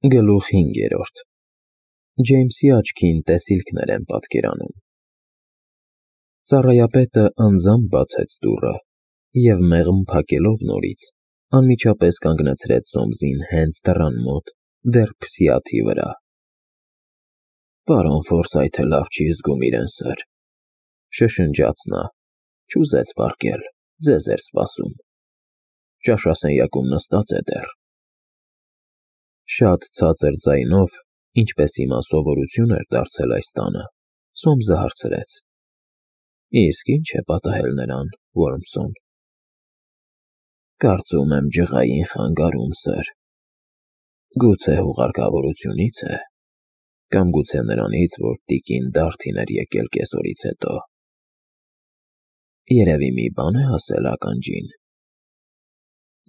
Գլուխ 5. Ջեյմսի աչքին տեսիլքներ են պատկերանում։ Ծառայապետը անձամբ բացեց դուռը և մեղմ փակելով նորից, անմիջապես կանգնեցրեց Սոմսին հենց դռան մոտ, դեռ փսիաթի վրա։ Պարոն Ֆորսայթը լավ չի զգում իրեն, սըր, շշնջաց նա, չուզեց պառկել, ձեզ էր սպասում, ճաշասենյակում նստած է դեռ։ Շատ ցածր ձայնով, ինչպես հիմա սովորություն էր դարձել այս տանը, Սոմսը հարցրեց. Իսկ ի՞նչ է պատահել նրան, Ոռմսոն։ Կարծում եմ ջղային խանգարում, սըր։ Գուցե հուղարկավորությունից է, կամ գուցե նրանից, որ տիկին Դարթին էր եկել կեսօրից հետո։ Երևի մի բան է ասել ականջին։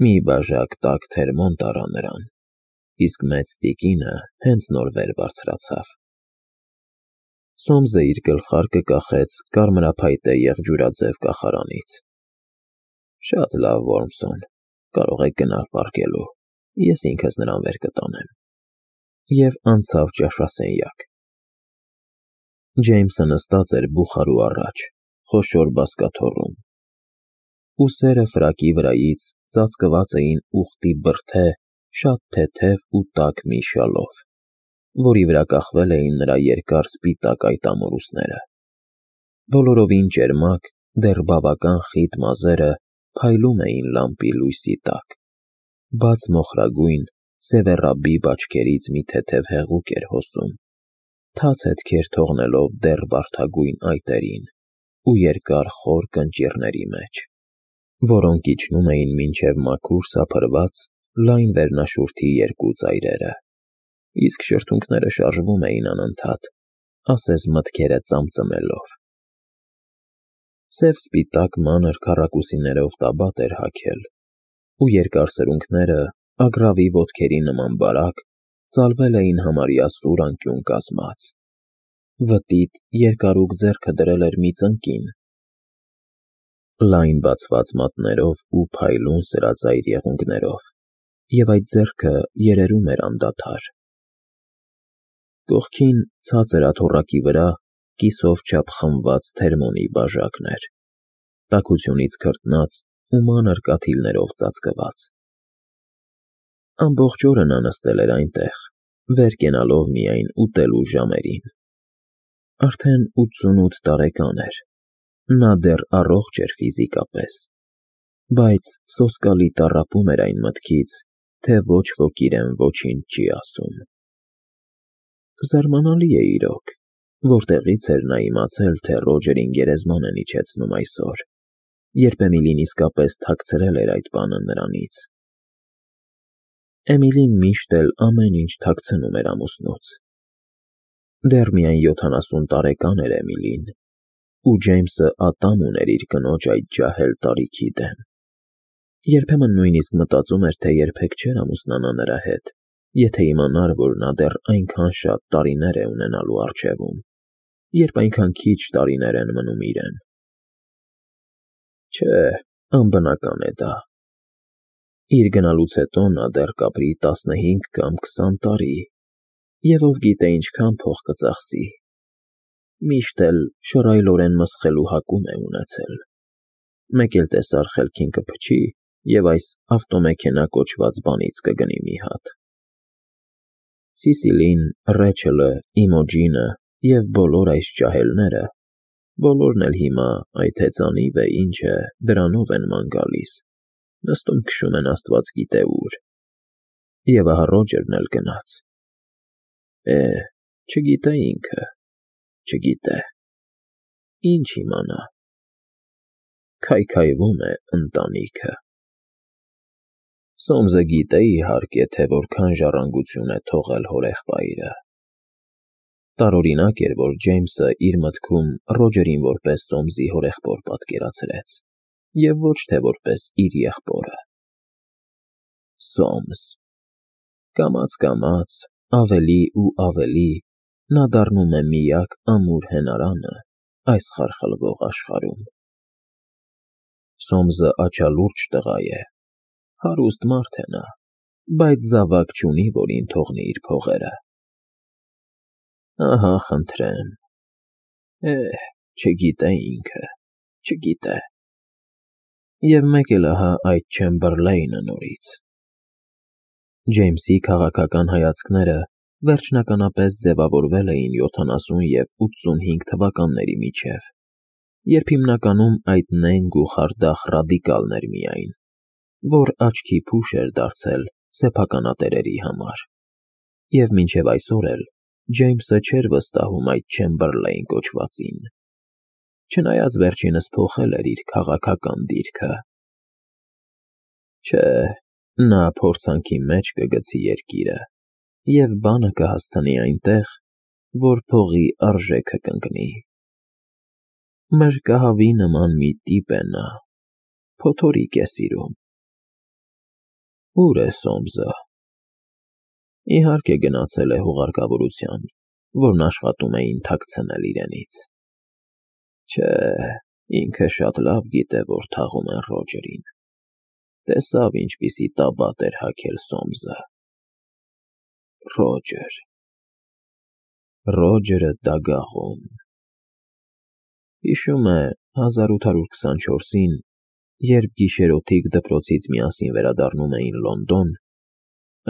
Մի բաժակ տաք թերմոն տարա նրան, իսկ մեծ տիկինը հենց նոր վեր բարձրացավ։ Սոմսը իր գլխարկը կախեց կարմրափայտե եղջյուրաձև կախարանից։ Շատ լավ, Ոռմսոն, կարող եք գնալ պառկելու, ես ինքս նրան վեր կտանեմ։ Եվ անցավ ճաշասենյակ։ Ջեյմսը նստած էր բուխարու առաջ, խոշոր բազկաթոռում։ Ուսերը ֆրակի վրայից ծածկված էին ուղտի բրդե, շատ թեթև ու տաք մի շալով, որի վրա կախվել էին նրա երկար սպիտակ այտամորուսները։ Բոլորովին ճերմակ, դեռ բավական խիտ մազերը փայլում էին լամպի լույսի տակ։ Բաց մոխրագույն, սևեռաբիբ աչքերից մի թեթև հեղուկ էր հոսում, թաց հետքեր թողնելով դեռ վարդագույն այտերին ու երկար խոր կնճիռների մեջ, որոնք իջնում էին մինչև մաքուր սափրված, լայն վերնաշուրթի երկու ծայրերը, իսկ շրթունքները շարժվում էին անընդհատ, ասես մտքերը ծամծմելով։ Սև-սպիտակ մանր քառակուսիներով տաբատ էր հագել, ու երկար սրունքները, ագռավի ոտքերի նման բարակ, ծալվել էին համարյա սուր անկյուն կազմած։ Վտիտ, երկարուկ ձեռքը դրել էր մի ծնկին։ Լայն բացված մատներով ու փայլուն սրածայր եղունգներով, և այդ ձեռքը երերում էր անդադար։ Կողքին, ցածր աթոռակի վրա, կիսով չափ խմված թերմոնի բաժակն էր, տաքությունից քրտնած ու մանր կաթիլներով ծածկված։ Ամբողջ օրը նա նստել էր այնտեղ, վեր կենալով միայն ուտելու ժամերին։ Արդեն 88 տարեկան էր, նա դեռ առողջ էր ֆիզիկապես, բայց սոսկալի տառապում էր այն մտքից, թե ոչ ոք իրեն ոչինչ չի ասում։ Զարմանալի է իրոք, որտեղից էր նա իմացել, թե Ռոջերին գերեզման են իջեցնում այսօր, երբ Էմիլին իսկապես թաքցրել էր այդ բանը նրանից։ Էմիլին միշտ էլ ամեն ինչ թաքցնում էր ամուսնուց։ Դեռ միայն 70 տարեկան էր Էմիլին, ու Ջեյմսը ատամ ուներ իր կնոջ այդ ջահել տարիքի դեմ։ Երբեմն նույնիսկ մտածում էր, թե երբեք չէր ամուսնանա նրա հետ, եթե իմանար, որ նա դեռ այնքան շատ տարիներ է ունենալու առջևում, երբ այնքան քիչ տարիներ են մնում իրեն։ Չէ, անբնական է դա։ Իր գնալուց հետո նա դեռ կապրի 15 կամ 20 տարի, և ով գիտե ինչքան փող կծախսի։ Միշտ էլ շռայլորեն մսխելու հակում է ունեցել։ Մեկ էլ տեսար խելքին կփչի և այս ավտոմեքենա կոչված բանից կգնի մի հատ։ Սիսիլին, Ռեչելը, Իմոջինը և բոլոր այս ջահելները, բոլորն էլ հիմա այդ հեծանիվ է ինչ է, դրանով են ման գալիս, նստում քշում են աստված գիտե ուր։ Եվ ահա Ռոջերն էլ գնաց։ Չգիտե ինքը, չգիտե, ինչ իմանա։ Քայքայվում է ընտանիքը։ Սոմսը գիտե, իհարկե, թե որքան ժառանգություն է թողել հորեղբայրը։ Տարօրինակ էր, որ Ջեյմսը իր մտքում Ռոջերին որպես Սոմսի հորեղբոր պատկերացրեց, և ոչ թե որպես իր եղբորը։ Սոմս։ Կամաց, ավելի ու ավելի նա դառնում է միակ ամուր հենարանը այս խարխլվող աշխարհում։ Սոմսը աչալուրջ տղա է, հարուստ մարդ է նա, բայց զավակ չունի, որին թողնի իր փողերը։ Ահա, խնդրեմ։ Չգիտե ինքը, չգիտե։ Եվ մեկ էլ ահա այդ Չեմբերլեյնը նորից։ Ջեյմսի քաղաքական հայացքները վերջնականապես ձևավորվել էին 70 և 85 թվականների միջև, երբ հիմնականում այդ նենգ ու խարդախ ռադիկալն էր միայն, որ աչքի փուշ էր դարձել սեփականատերերի համար, և մինչև այսօր էլ Ջեյմսը չէր վստահում այդ Չեմբերլեյն կոչվածին, չնայած վերջինս փոխել էր իր քաղաքական դիրքը։ Չէ, նա փորձանքի մեջ կգցի երկիրը և բանը կհասցնի այնտեղ, որ փողի արժեքը կընկնի։ Մրրկահավի նման մի տիպ է նա, փոթորիկ է սիրում։ Ո՞ւր է Սոմսը։ Իհարկե գնացել է հուղարկավորության, որն աշխատում էին թաքցնել իրենից։ Չէ, ինքը շատ լավ գիտե, որ թաղում են Ռոջերին։ Տեսավ, ինչպիսի տաբատ էր հագել Սոմսը։ Ռոջերը դագաղում։ Հիշում է 1824-ին, երբ գիշերօթիկ դպրոցից միասին վերադառնում էին Լոնդոն,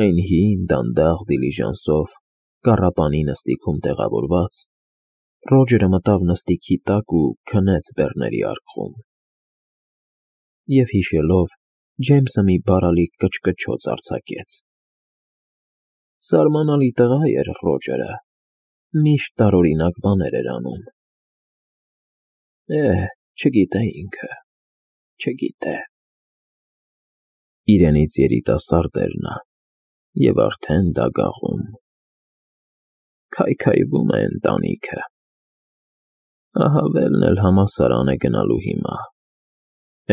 այն հին դանդաղ դիլիժանսով, կառապանի նստիքում տեղավորված, Ռոջերը մտավ նստիքի տակ ու քնեց բեռների արկղում։ Եվ հիշելով, Ջեյմսը մի բարալիկ կչկչոց արձակեց։ Զարմանալի տղա էր Ռոջերը, միշտ տարօրինակ բաներ էր անում։ Չգիտե ինքը, չգիտե։ Իրենից երիտասարդ էր նա, և արդեն դագաղում։ Քայքայվում է ընտանիքը։ Ահավելն էլ համալսարան է գնալու հիմա,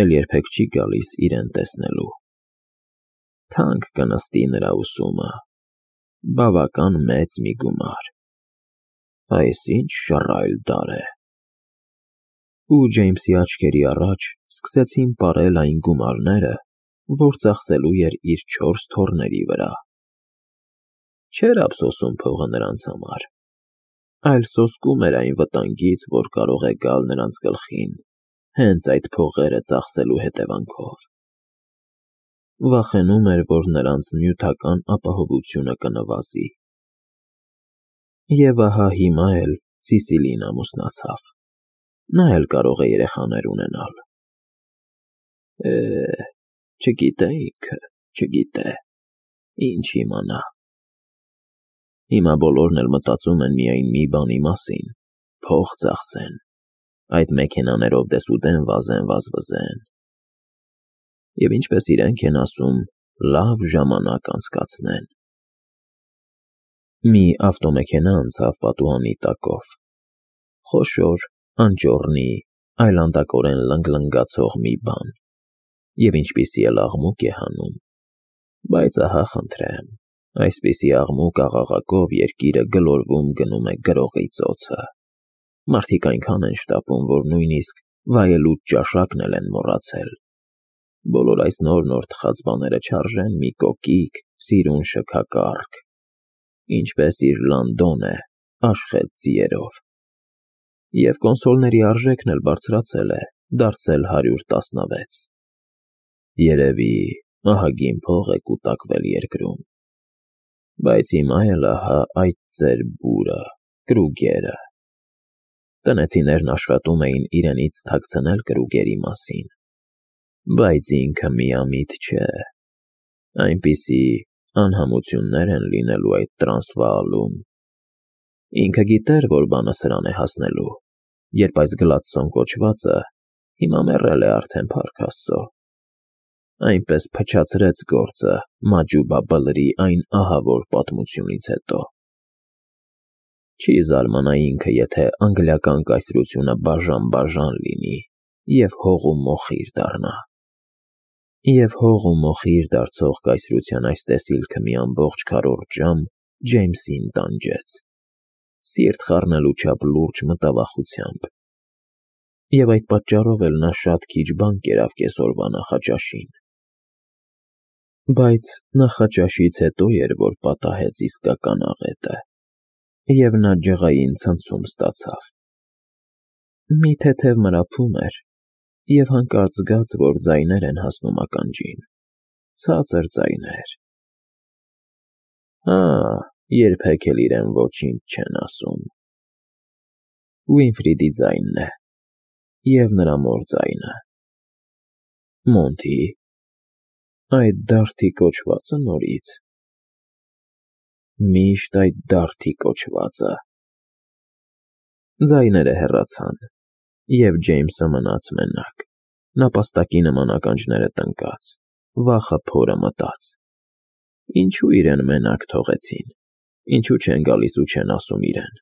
էլ երբեք չի գալիս իրեն տեսնելու։ Թանկ կնստի նրա ուսումը, բավական մեծ մի գումար։ Այս ինչ շռայլ դար է։ Ու Ջեյմսի աչքերի առաջ սկսեցին պարել այն գումարները, որ ծախսելու էր իր 4 թոռների վրա։ Չէր ափսոսում փողը նրանց համար, այլ սոսկում էր այն վտանգից, որ կարող է գալ նրանց գլխին հենց այդ փողերը ծախսելու հետևանքով։ Վախենում էր, որ նրանց նյութական ապահովությունը կնվազի։ Եվ ահա հիմա էլ Սիսիլին ամուսնացավ։ Նա էլ կարող է երեխաներ ունենալ։ Չգիտե ինքը, չգիտե, ինչ իմանա։ Հիմա բոլորն էլ մտածում են միայն մի բանի մասին՝ փող ծախսեն, այդ մեքենաներով դեսուդեն վազեն վազվզեն։ Եվ ինչպես իրենք են ասում, լավ ժամանակ անցկացնեն։ Մի ավտոմեքենա անցավ պատուհանի տակով։ Խոշոր, անճոռնի, այլանդակորեն լնգլնգացող մի բան, և ինչպիսի էլ աղմուկ է հանում, բայց ահա խնդրեմ, այսպիսի աղմուկ աղաղակով երկիրը գլորվում գնում է գրողի ծոցը։ Մարդիկ այնքան են շտապում, որ նույնիսկ վայելուչ ճաշակն էլ են մոռացել։ Բոլոր այս նոր թխած բաները չարժեն մի կոկիկ, սիրուն շքակառք, ինչպես իր Լանդոն է, աշխետ ձիերով։ Եվ կոնսոլների արժեքն էլ բարձրացել է, դարձել 116։ Երևի ահագին փող է կուտակվել երկրում։ Բայց հիմա էլ ահա այդ ձեր բուրը, Կրուգերը։ Տնեցիներն աշխատում էին իրենից թաքցնել Կրուգերի մասին, բայց ինքը միամիտ չէ։ Այնպիսի անհամություններ են լինելու այդ Տրանսվաալում։ Ինքը գիտեր, որ բանը սրան է հասնելու, երբ այս Գլադստոն կոչվածը հիմա մեռել է արդեն, փառք Աստծո, այնպես փչացրեց գործը Մաջուբա Բլրի այն ահավոր պատմությունից հետո։ Չի զարմանա ինքը, եթե անգլիական կայսրությունը բաժան լինի և հող ու մոխիր դառնա։ Եվ հող ու մոխիր դարձող կայսրության այս տեսիլքը մի ամբողջ քառորդ ժամ Ջեյմսին տանջեց, սիրտ խառնելու չափ լուրջ մտավախությամբ։ Եվ այդ պատճառով էլ նա շատ քիչ բան կերավ կեսօրվա նախաճաշին։ Բայց նախաճաշից հետո էր, որ պատահեց իսկական աղետը, և նա ջղային ցնցում ստացավ։ Մի թեթև մրափում էր, և հանկարծ զգաց, որ ձայներ են հասնում ականջին, ցածր ձայներ։ Հա, երբեք էլ իրեն ոչինչ չեն ասում։ Վինֆրիդի ձայնն է, և նրա մոր ձայնը։ Մոնթի, այդ դարդի կոչվածը նորից։ Միշտ այդ դարդի կոչվածը։ Ձայները հեռացան, և Ջեյմսը մնաց մենակ, նապաստակի նման ականջները տնկած, վախը փորը մտած. ինչու իրեն մենակ թողեցին, ինչու չեն գալիս ու չեն ասում իրեն։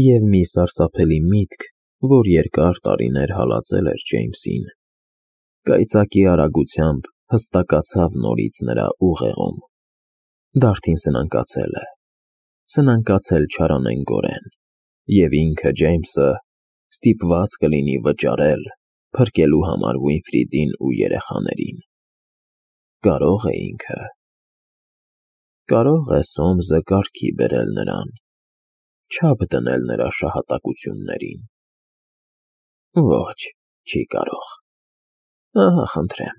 Եվ մի սարսափելի միտք, որ երկար տարիներ հալածել էր Ջեյմսին, կայծակի արագությամբ հստակացավ նորից նրա ուղեղում. դարդին սնանկացել է, սնանկացել չարանենգորեն, և ինքը, Ջեյմսը, ստիպված կլինի վճարել, փրկելու համար Վինֆրիդին ու երեխաներին։ Կարո՞ղ է ինքը։ Կարո՞ղ է Սոմսը կարգի բերել նրան, չափ դնել նրա շահատակություններին։ Ոչ, չի կարող։ Ահա, խնդրեմ,